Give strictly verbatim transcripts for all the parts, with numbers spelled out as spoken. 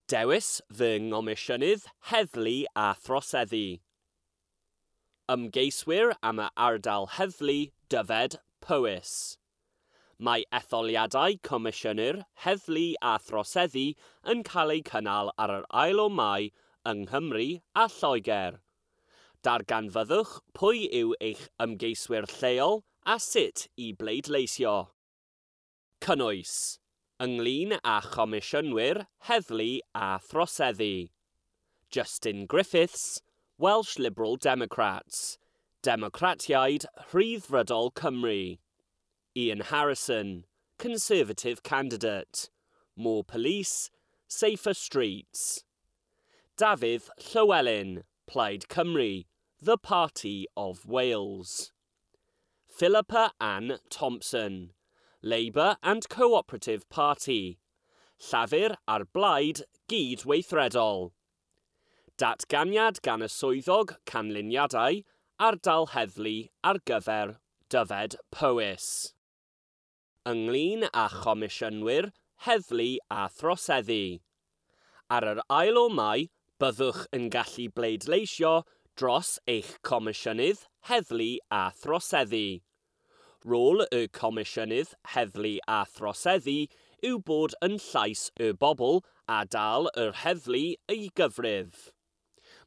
Dewis fy Ngomisiynydd Heddlu a Throseddu. Ymgeiswyr am y ardal heddlu Dyfed Powys. Mae etholiadau Comisiynwyr Heddlu a Throseddu yn cael eu cynnal ar yr ail o Mai yng Nghymru a Lloegr. Darganfyddwch pwy yw eich ymgeiswyr lleol a sut i bleidleisio. Cynnwys ynglyn â Chomisiynwyr Heddlu a Throseddu. Justin Griffiths, Welsh Liberal Democrats, Democratiaid Rhyddfrydol Cymru. Ian Harrison, Conservative candidate, More Police, Safer Streets. Dafydd Llywelyn, Plaid Cymru, The Party of Wales. Philippa Ann Thompson, Labour and Cooperative Party, Llafur a'r Blaid Gydweithredol. Datganiad gan y swyddog canlyniadau ardal heddlu ar gyfer Dyfed Powys. Ynglyn â chomisiynwyr heddlu a throseddu. Ar yr ail o Mai, byddwch yn gallu bleidleisio dros eich comisiynydd heddlu a throseddu. Rôl y Comisiynydd Heddlu a Throseddu yw bod yn llais y bobl a dal yr heddlu i gyfrif.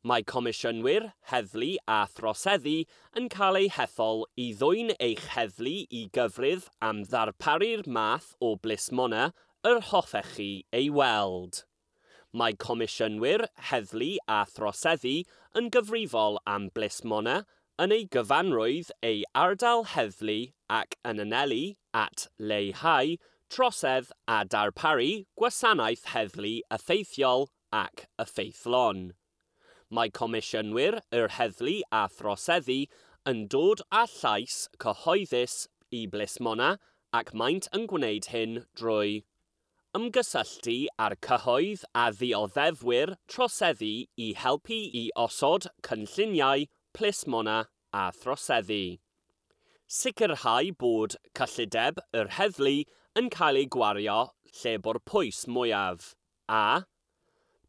Mae Comisiynwyr Heddlu a Throseddu yn cael eu hethol i ddwyn eich heddlu i gyfrif am ddarparu'r math o blismona yr hoffech chi ei weld. Mae Comisiynwyr Heddlu a Throseddu yn gyfrifol am blismona yn ei gyfanrwydd ei ardal heddlu ac yn anelu at leihau trosedd a darparu gwasanaeth heddlu effeithiol ac effeithlon. Mae Comisiynwyr yr Heddlu a Throseddu yn dod â llais cyhoeddus i blismona ac maent yn gwneud hyn drwy ymgysylltu â'r cyhoedd a ddioddefwyr troseddu i helpu i osod cynlluniau plismona a throseddu. Sicrhau bod cyllideb yr heddlu yn cael ei gwario lle bo'r pwys mwyaf, a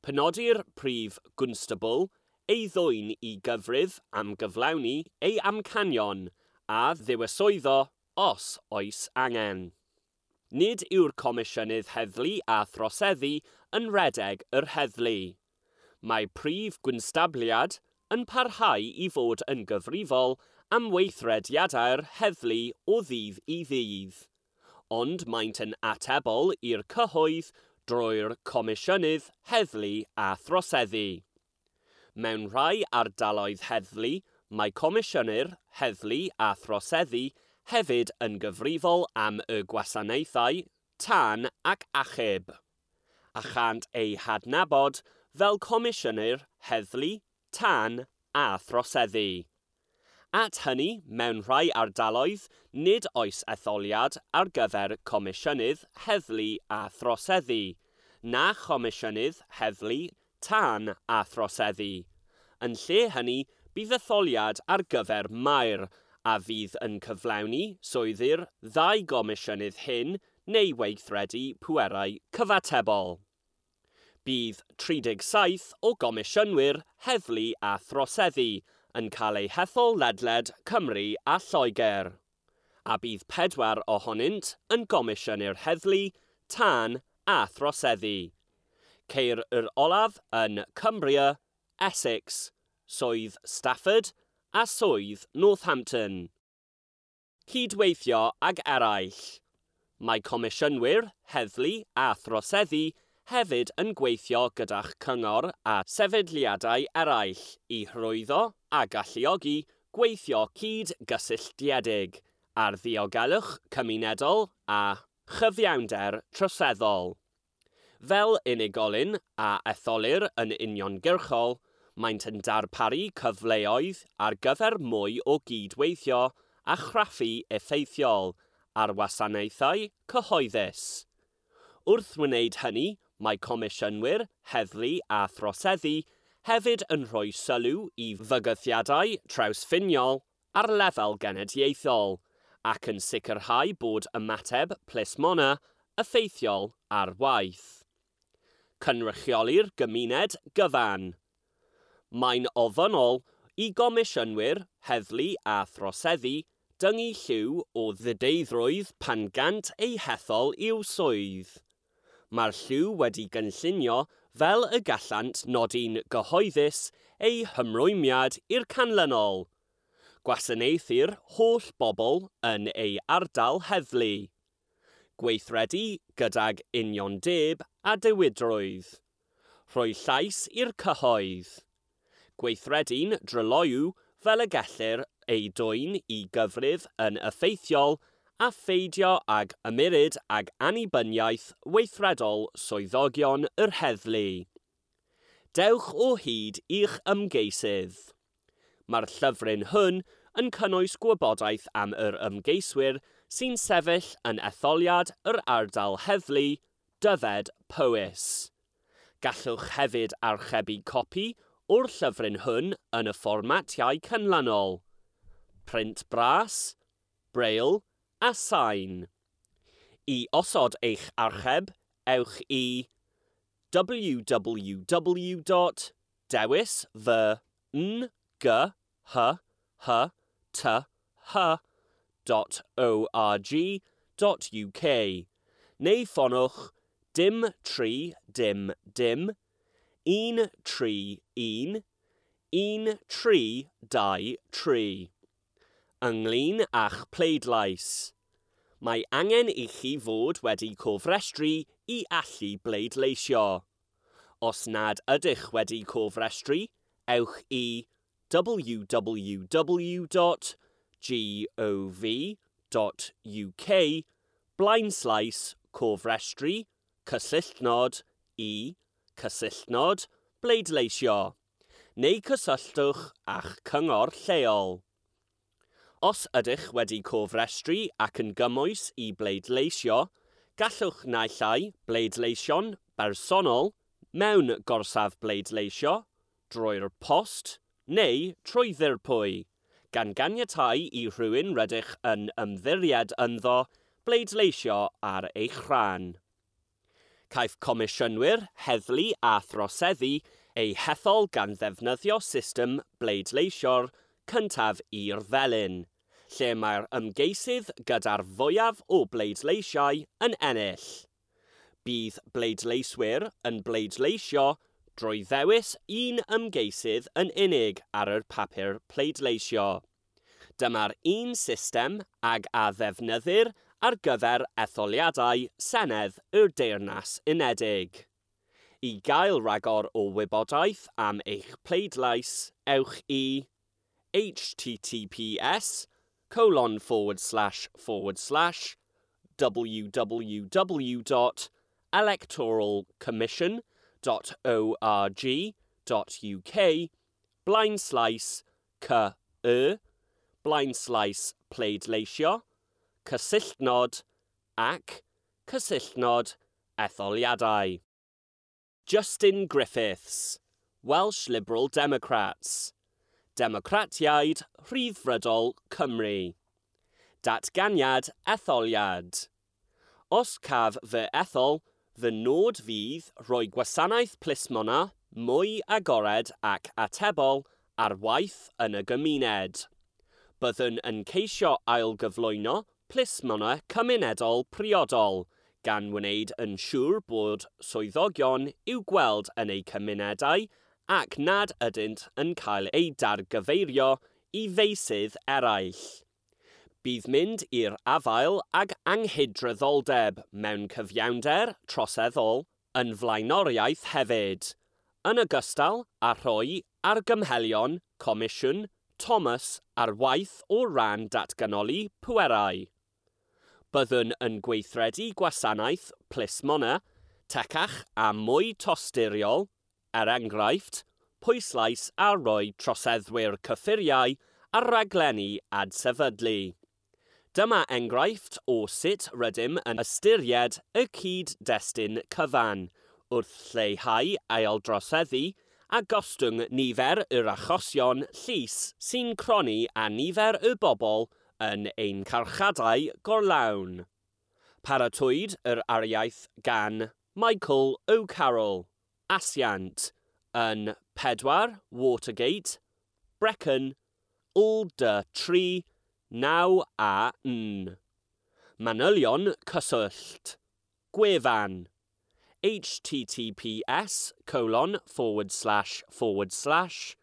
penodi'r prif gwnstabl ei ddwyn i gyfrif am gyflawni ei amcanion a ddiweswyddo os oes angen. Nid yw'r Comisiynydd Heddlu a Throseddu yn rhedeg yr heddlu. Mae prif gwnstabliad yn parhau i fod yn gyfrifol am weithrediadau'r heddlu o ddydd i ddydd, ond maent yn atebol i'r cyhoedd drwy'r Comisiynydd Heddlu a Throseddu. Mewn rhai ardaloedd heddlu, mae Comisiynwyr Heddlu a Throseddu hefyd yn gyfrifol am y gwasanaethau tân ac achub, a chant eu hadnabod fel Comisiynwyr Heddlu, Tân a Throseddu. At hynny, mewn rhai ardaloedd, nid oes etholiad ar gyfer Comisiynydd Heddlu a Throseddu, na Chomisiynydd Heddlu, Tân a Throseddu. Yn lle hynny, bydd etholiad ar gyfer maer, a fydd yn cyflawni swyddi'r ddau gomisiynydd hyn neu weithredu pwerau cyfatebol. Bydd tri deg saith o gomisiynwyr heddlu a throseddu yn cael eu hethol ledled Cymru a Lloegr, a bydd pedwar ohonynt yn gomisiynwyr heddlu, tân a throseddu. Ceir yr olaf yn Cumbria, Essex, Swydd Stafford a Swydd Northampton. Cydweithio ag eraill. Mae Comisiynwyr Heddlu a Throseddu hefyd yn gweithio gyda'ch cyngor a sefydliadau eraill i hyrwyddo a galluogi gweithio cyd-gysylltiedig ar ddiogelwch cymunedol a chyfiawnder troseddol. Fel unigolyn a etholir yn uniongyrchol, maent yn darparu cyfleoedd ar gyfer mwy o gydweithio a chraffu effeithiol ar wasanaethau cyhoeddus. Wrth wneud hynny, mae Comisiynwyr Heddlu a Throseddu hefyd yn rhoi sylw i fygythiadau trawsffiniol ar lefel genedlaethol ac yn sicrhau bod ymateb plismona effeithiol ar waith. Cynrychioli'r gymuned gyfan. Mae'n ofynnol i gomisiynwyr, heddlu a throseddu dyngu lliw o ddideiddrwydd pan gant eu hethol i'w swydd. Mae'r lliw wedi gynllunio fel y gallant nodi'n gyhoeddus eu hymrwymiad i'r canlynol. Gwasanaethu'r holl bobl yn ei ardal heddlu. Gweithredu gydag uniondeb a diwydrwydd. Rhoi llais i'r cyhoedd. Gweithredu'n dryloyw fel y gellir ei dwyn i gyfrif yn effeithiol a pheidio ag ymyrryd ag annibyniaeth weithredol swyddogion yr heddlu. Dewch o hyd i'ch ymgeisydd. Mae'r llyfryn hwn yn cynnwys gwybodaeth am yr ymgeiswyr sy'n sefyll yn etholiad yr ardal heddlu, Dyfed Powys. Gallwch hefyd archebu copi o'r llyfryn hwn yn y fformatiau canlynol: print bras, braille a sain. I osod eich archeb, ewch i w w w dot dewis fy n g h h t h dot org dot u k neu ffonwch dim tri dim dim un tri un un tri dau tri. Ynglyn â'ch pleidlais. Mae angen i chi fod wedi cofrestru i allu bleidleisio. Os nad ydych wedi cofrestru, ewch i w w w dot gov dot u k blaenslaes cofrestru cysylltnod i cysylltnod bleidleisio neu cysylltwch â'ch cyngor lleol. Os ydych wedi cofrestru ac yn gymwys i bleidleisio, gallwch naill ai bleidleisio'n bersonol mewn gorsaf bleidleisio, drwy'r post neu trwy ddirprwy, gan ganiatáu i rhywun rydych yn ymddiried ynddo bleidleisio ar eich rhan. Caiff comisiynwyr, heddlu a throseddu eu hethol gan ddefnyddio system bleidleisio'r cyntaf i'r felin, lle mae'r ymgeisydd gyda'r fwyaf o bleidleisiau yn ennill. Bydd bleidleiswyr yn bleidleisio drwy ddewis un ymgeisydd yn unig ar yr papur pleidleisio. Dyma'r un system ag a ddefnyddir ar gyfer etholiadau Senedd y Deyrnas Unedig. I gael rhagor o wybodaeth am eich pleidlais, ewch i h t t p s colon forward slash forward slash w w w dot electoral commission dot org dot u k blaenslaes c y blaenslaes pleidleisio cysylltnod ac cysylltnod etholiadau. Justin Griffiths, Welsh Liberal Democrats, Democratiaid Rhyddfrydol Cymru. Datganiad etholiad. Os caf fy ethol, fy nod fydd rhoi gwasanaeth plismona mwy agored ac atebol ar waith yn y gymuned. Byddwn yn ceisio ailgyflwyno plismona cymunedol priodol, gan wneud yn siŵr bod swyddogion i'w gweld yn eu cymunedau ac nad ydynt yn cael eu dargyfeirio i feysydd eraill. Bydd mynd i'r afael ag anghydraddoldeb mewn cyfiawnder troseddol yn flaenoriaeth hefyd, yn ogystal â rhoi argymhellion Comisiwn Thomas ar waith o ran datganoli pwerau. Byddwn yn gweithredu gwasanaeth plismona, tecach a mwy tosturiol, er enghraifft, pwyslais ar roi troseddwyr cyffuriau a rhaglenni adsefydlu. Dyma enghraifft o sut rydym yn ystyried y cyd-destun cyfan wrth lleihau aildroseddu a gostwng nifer yr achosion llys sy'n cronni a nifer y bobl yn ein carchadau gorlawn. Paratwyd yr ariaeth gan Michael O'Carroll, Asiant yn pedwar Watergate, Brecon, L D tri naw A N. Manylion cyswllt. Gwefan https colon forward slash forward slash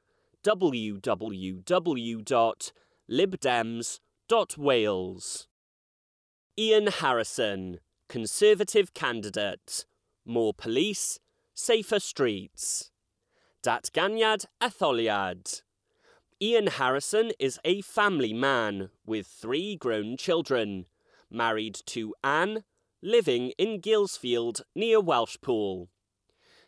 www dot libdems dot wales. Ian Harrison, Conservative candidate. More police, safer streets. Datganiad etholiad. Ian Harrison is a family man with three grown children, married to Anne, living in Guilsfield near Welshpool.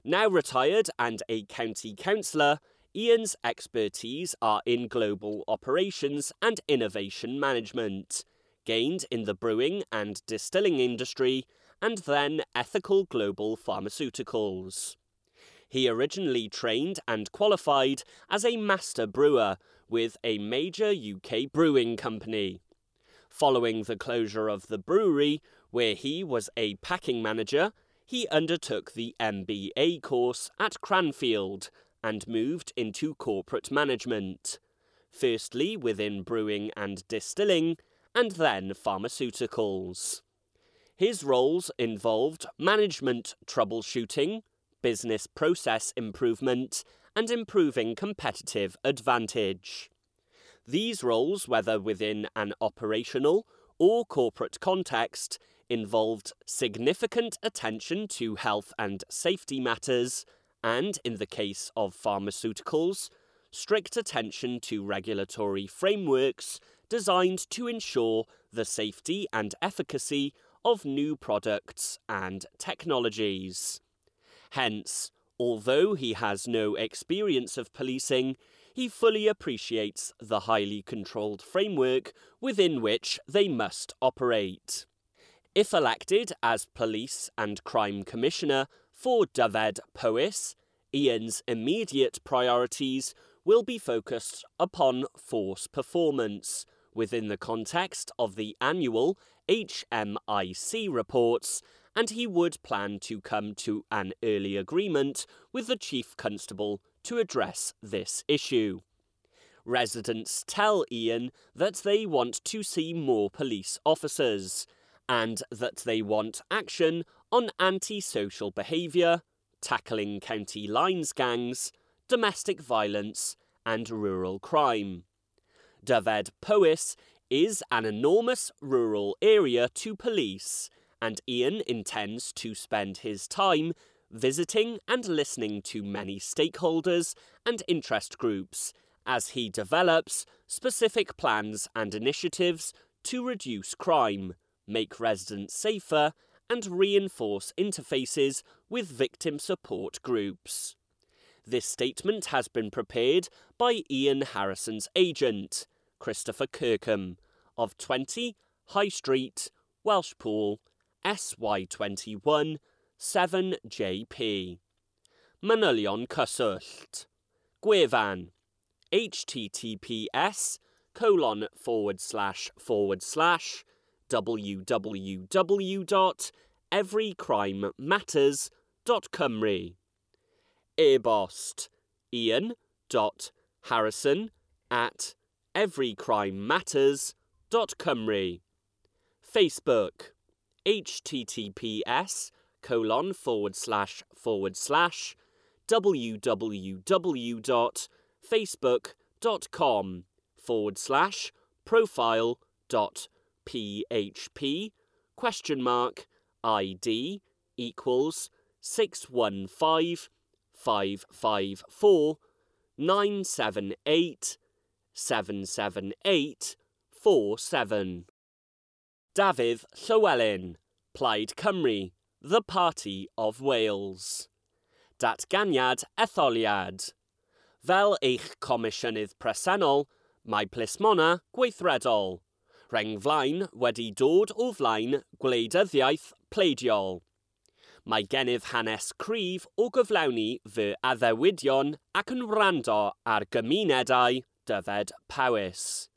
Now retired and a county councillor, Ian's expertise are in global operations and innovation management, gained in the brewing and distilling industry and then ethical global pharmaceuticals. He originally trained and qualified as a master brewer with a major U K brewing company. Following the closure of the brewery, where he was a packing manager, he undertook the M B A course at Cranfield and moved into corporate management, firstly within brewing and distilling, and then pharmaceuticals. His roles involved management troubleshooting, business process improvement, and improving competitive advantage. These roles, whether within an operational or corporate context, involved significant attention to health and safety matters, and, in the case of pharmaceuticals, strict attention to regulatory frameworks designed to ensure the safety and efficacy of new products and technologies. Hence, although he has no experience of policing, he fully appreciates the highly controlled framework within which they must operate. If elected as Police and Crime Commissioner for Dyfed Powys, Ian's immediate priorities will be focused upon force performance within the context of the annual H M I C reports, and he would plan to come to an early agreement with the Chief Constable to address this issue. Residents tell Ian that they want to see more police officers, and that they want action on antisocial behaviour, tackling county lines gangs, domestic violence, and rural crime. Dyfed Powys is an enormous rural area to police, and Ian intends to spend his time visiting and listening to many stakeholders and interest groups as he develops specific plans and initiatives to reduce crime, make residents safer, and reinforce interfaces with victim support groups. This statement has been prepared by Ian Harrison's agent, Christopher Kirkham, of twenty High Street, Welshpool, S Y twenty-one seven J P. Manylion cyswllt. Gwefan https colon forward slash forward slash www dot everycrimematters dot cymru. E-bost Ian dot Harrison at everycrimematters dot cymru. Facebook https colon forward slash forward slash www dot facebook dot com forward slash profile dot php question mark I D equals six one five five five four nine seven eight seven seven eight four seven. Dafydd Llywelyn, Plaid Cymru, the Party of Wales. Datganiad etholiad. Fel eich comisiynydd presennol, mae plismona gweithredol. Rheng flaen wedi dod o flaen gwleidyddiaeth pleidiol. Mae gennyf hanes cryf o gyflawni fy addewidion ac yn wrando ar gymunedau Dyfed Powys.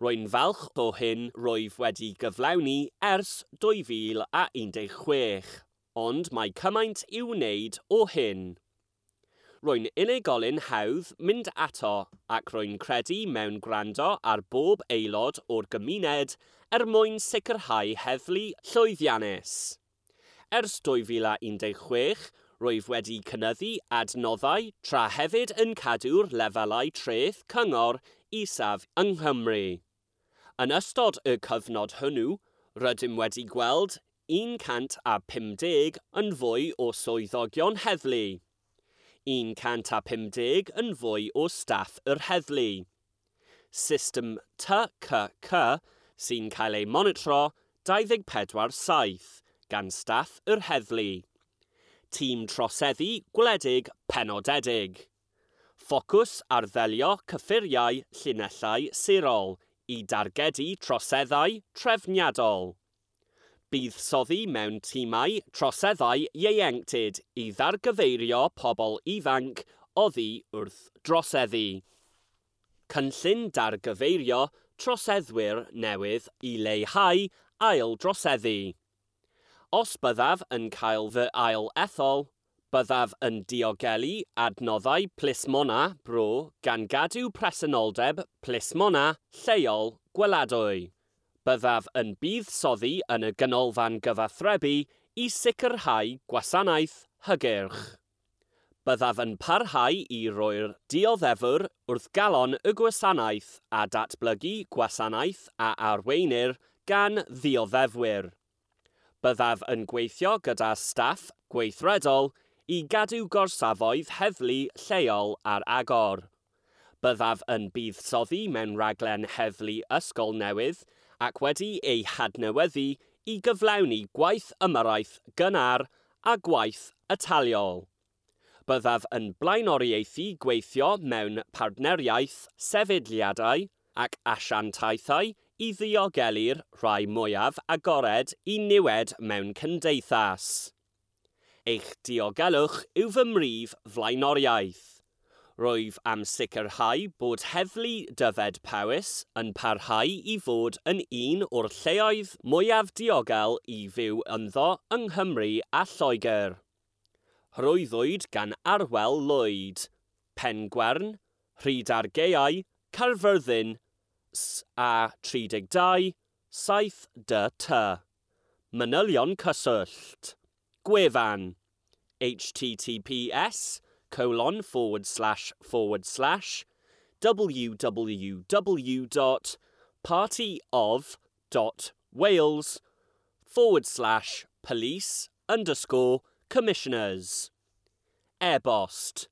Rwy'n falch o hyn rwyf wedi gyflawni ers dwy fil a un deg chwech, ond mae cymaint i'w wneud o hyn. Rwy'n unigolyn hawdd mynd ato ac rwy'n credu mewn gwrando ar bob aelod o'r gymuned er mwyn sicrhau heddlu llwyddiannus. Ers dwy fil a un deg chwech, rwyf wedi cynyddu adnoddau tra hefyd yn cadw'r lefelau treth cyngor isaf yng Nghymru. Yn ystod y cyfnod hwnnw, rydym wedi gweld un cant a pumdeg yn fwy o swyddogion heddlu, un cant a pumdeg yn fwy o staff yr heddlu. System T C C sy'n cael ei monitro dau ddeg pedwar saith gan staff yr heddlu. Tîm troseddu gwledig penodedig. Ffocws ar ddelio cyffuriau llinellau sirol i dargedu troseddau trefniadol. Buddsoddi mewn tîmau troseddau ieuenctid i ddargyfeirio pobl ifanc oddi wrth droseddu. Cynllun dargyfeirio troseddwyr newydd i leihau ail droseddu. Os byddaf yn cael fy ail ethol, byddaf yn diogelu adnoddau plismona bro gan gadw presenoldeb plismona lleol gweladwy. Byddaf yn buddsoddi yn y ganolfan gyfathrebu i sicrhau gwasanaeth hygyrch. Byddaf yn parhau i roi'r dioddefwr wrth galon y gwasanaeth a datblygu gwasanaeth a arweinir gan ddioddefwyr. Byddaf yn gweithio gyda staff gweithredol i gadw gorsafoedd heddlu lleol ar agor. Byddaf yn buddsoddi mewn rhaglen heddlu ysgol newydd ac wedi ei hadnewyddu i gyflawni gwaith ymyrraeth gynnar a gwaith ataliol. Byddaf yn blaenoriaethu gweithio mewn partneriaeth sefydliadau ac asiantaethau i ddiogelu'r rhai mwyaf agored i niwed mewn cymdeithas. Eich diogelwch yw fy mhrif flaenoriaeth. Rwyf am sicrhau bod heddlu Dyfed Powys yn parhau i fod yn un o'r lleoedd mwyaf diogel i fyw ynddo yng Nghymru a Lloegr. Hyrwyddwyd gan Arwel Lwyd, Pengwern, Rhydargaeau, Caerfyrddin, S A tri deg dau, saith D T. Manylion cyswllt. Gwefan H T T P S colon forward slash forward slash www dot party of dot wales forward slash police underscore commissioners. E-bost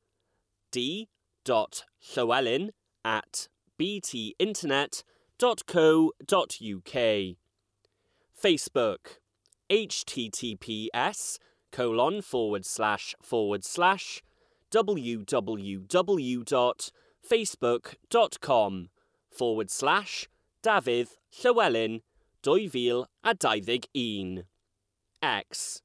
d dot llywelyn at b t internet dot co dot u k. Facebook H T T P S colon forward slash forward slash www dot facebook dot com forward slash Dafydd Llywelyn dwy fil a dau ddeg un. X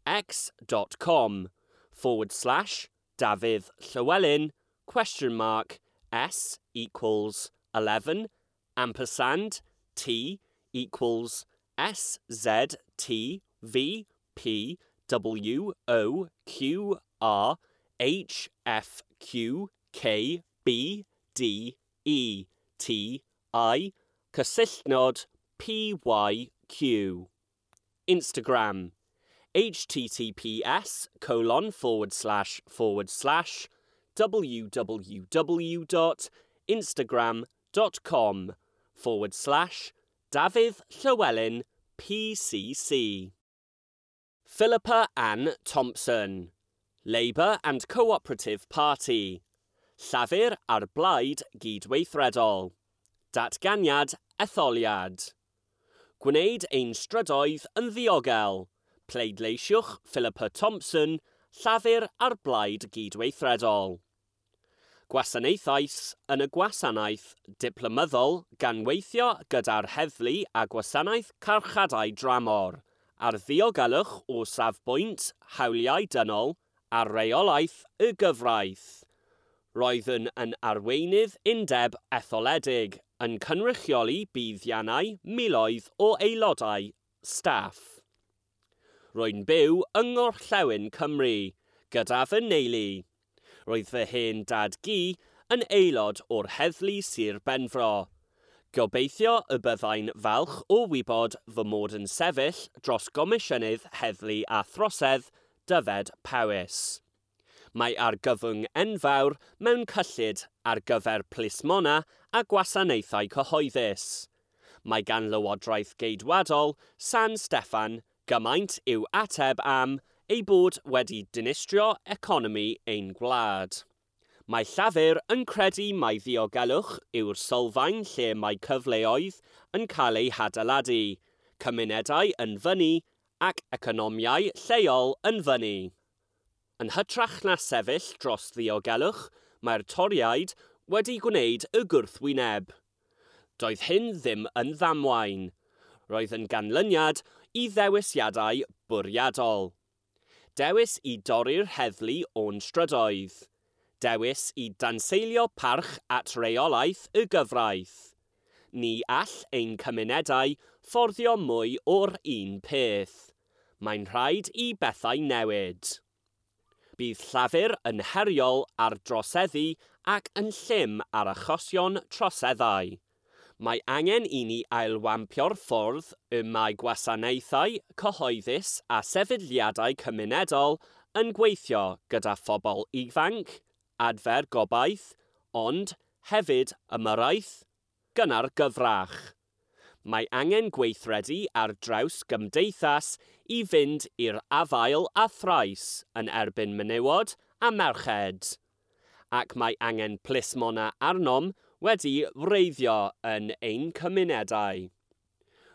x dot com forward slash Dafydd Llywelyn question mark S equals eleven ampersand T equals S Z T V P W O Q R H F Q K B D E T I cysylltnod P Y Q. Instagram H T T P S colon forward slash forward slash www dot instagram dot com forward slash Dafydd Llywelyn P C C. Philippa Ann Thompson, Labour and Cooperative Party, Llafur a'r Blaid Gydweithredol, Datganiad Etholiad. Gwneud ein strydoedd yn ddiogel. Pleidleisiwch Philippa Thompson, Llafur a'r Blaid Gydweithredol. Gwasanaethais yn y gwasanaeth diplomyddol gan weithio gyda'r heddlu a gwasanaeth carchadau dramor, ar ddiogelwch o safbwynt hawliau dynol a reolaeth y gyfraith. Roeddwn yn arweinydd undeb etholedig yn cynrychioli buddiannau miloedd o aelodau staff. Rwy'n byw yng Ngorllewin Cymru, gyda fy neulu. Roedd fy hen dad gu yn aelod o'r heddlu Sir Benfro. Gobeithio y byddai'n falch o wybod fy mod yn sefyll dros Gomisiynydd Heddlu a Throsedd Dyfed Powys. Mae argyfwng enfawr mewn cyllid ar gyfer plismona a gwasanaethau cyhoeddus. Mae gan Lywodraeth Geidwadol San Steffan gymaint i'w ateb am ei bod wedi dinistrio economi ein gwlad. Mae Llafur yn credu mai ddiogelwch yw'r sylfaen lle mae cyfleoedd yn cael eu hadeiladu, cymunedau yn fyny ac economiau lleol yn fyny. Yn hytrach na sefyll dros ddiogelwch, mae'r Torïaid wedi gwneud y gwrthwyneb. Doedd hyn ddim yn ddamwain. Roedd yn ganlyniad i ddewisiadau bwriadol. Dewis i dorri'r heddlu o'n strydoedd. Dewis i danseilio parch at reolaeth y gyfraith. Ni all ein cymunedau fforddio mwy o'r un peth. Mae'n rhaid i bethau newid. Bydd Llafur yn heriol ar droseddu ac yn llym ar achosion troseddau. Mae angen i ni ailwampio'r ffordd y mae gwasanaethau cyhoeddus a sefydliadau cymunedol yn gweithio gyda phobl ifanc, adfer gobaith, ond hefyd ymyrraeth, gynnar gyfrach. Mae angen gweithredu ar draws gymdeithas i fynd i'r afael a thrais yn erbyn menywod a merched. Ac mae angen plismona arnom wedi wreiddio yn ein cymunedau.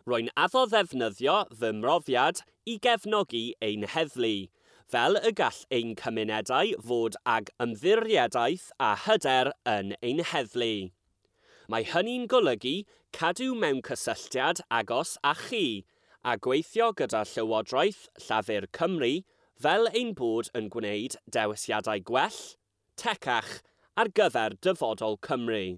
Rwy'n addo ddefnyddio fy mhrofiad i gefnogi ein heddlu, fel y gall ein cymunedau fod ag ymddiriedaeth a hyder yn ein heddlu. Mae hynny'n golygu cadw mewn cysylltiad agos â chi a gweithio gyda Llywodraeth Llafur Cymru fel ein bod yn gwneud dewisiadau gwell, tecach ar gyfer dyfodol Cymru.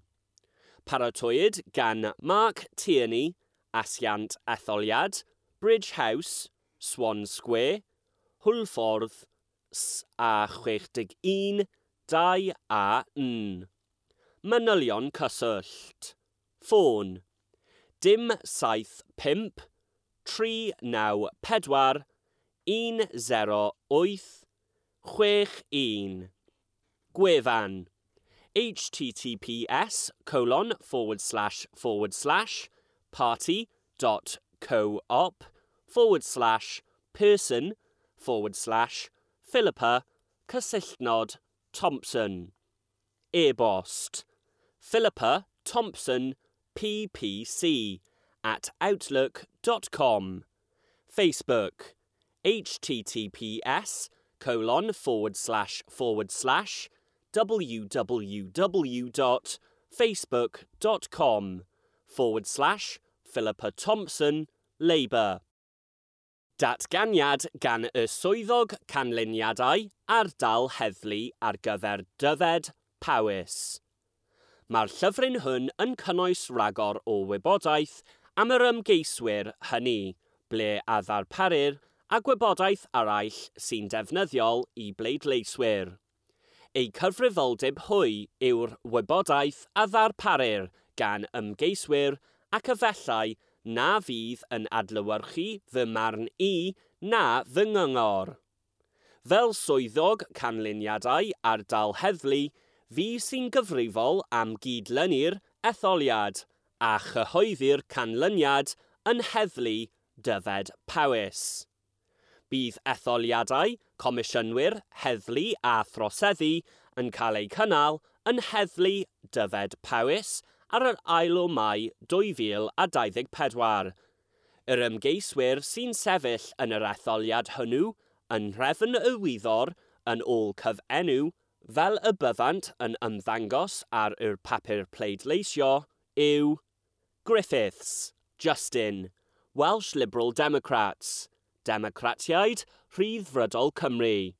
Paratowyd gan Mark Tierney, Asiant Etholiad, Bridge House, Swan Square, Hwlffordd, S A chwech deg un, dau A N. Manylion cyswllt. Ffôn. Dim saith pump, tri naw pedwar, un sero wyth, chwech un. Gwefan. https colon forward slash forward slash party dot co-op forward slash person forward slash Philippa cysylltnod Thompson. E-bost Philippa Thompson P P C at outlook dot com. Facebook https colon forward slash forward slash www dot facebook dot com forward slash Philippa Thompson Labour. Datganiad gan y swyddog canlyniadau ardal heddlu ar gyfer Dyfed Powys. Mae'r llyfryn hwn yn cynnwys rhagor o wybodaeth am yr ymgeiswyr hynny, ble a ddarparir a gwybodaeth arall sy'n defnyddiol i bleidleiswyr. Eu cyfrifoldeb hwy yw'r wybodaeth a ddarparir gan ymgeiswyr ac efallai na fydd yn adlewyrchu fy marn i na fy nghyngor. Fel swyddog canlyniadau ardal heddlu, fi sy'n gyfrifol am gydlynu'r etholiad a chyhoeddi'r canlyniad yn heddlu Dyfed Powys. Bydd etholiadau, comisiynwyr, heddlu a throseddu yn cael eu cynnal yn heddlu Dyfed Powys ar yr ail o Mai dwy fil a dau ddeg pedwar. Yr ymgeiswyr sy'n sefyll yn yr etholiad hwnnw yn nhrefn y wyddor yn ôl cyfenw fel y byddant yn ymddangos ar yr papur pleidleisio yw Griffiths, Justin, Welsh Liberal Democrats, Democratiaid Rhyddfrydol Cymru.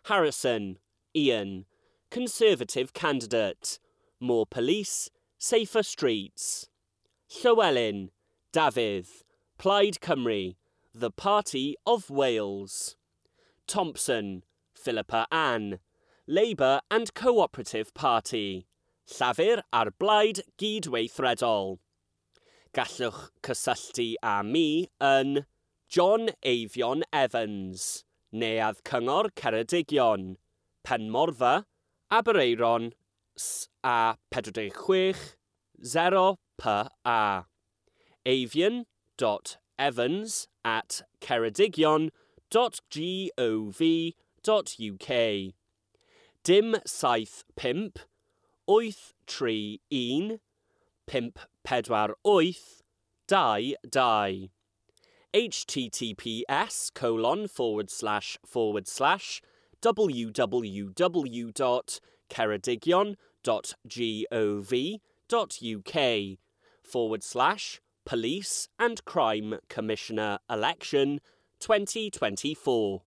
Harrison, Ian, Conservative Candidate, More Police, Safer Streets. Llywelyn, Dafydd, Plaid Cymru, The Party of Wales. Thompson, Philippa Ann, Labour and Cooperative Party, Llafur a'r Blaid Gydweithredol. Gallwch cysylltu â mi yn John Eifion Evans, Neuadd Cyngor Ceredigion, Penmorfa, Aberaeron, S A pedwar deg chwech, zero P A. eifion dot evans at ceredigion dot gov dot U K Dim saith pump, wyth tri un, pump pedwar wyth, dau dau. H T T P S colon forward slash forward slash W W W dot ceredigion dot gov dot U K forward slash Police and Crime Commissioner Election twenty twenty-four.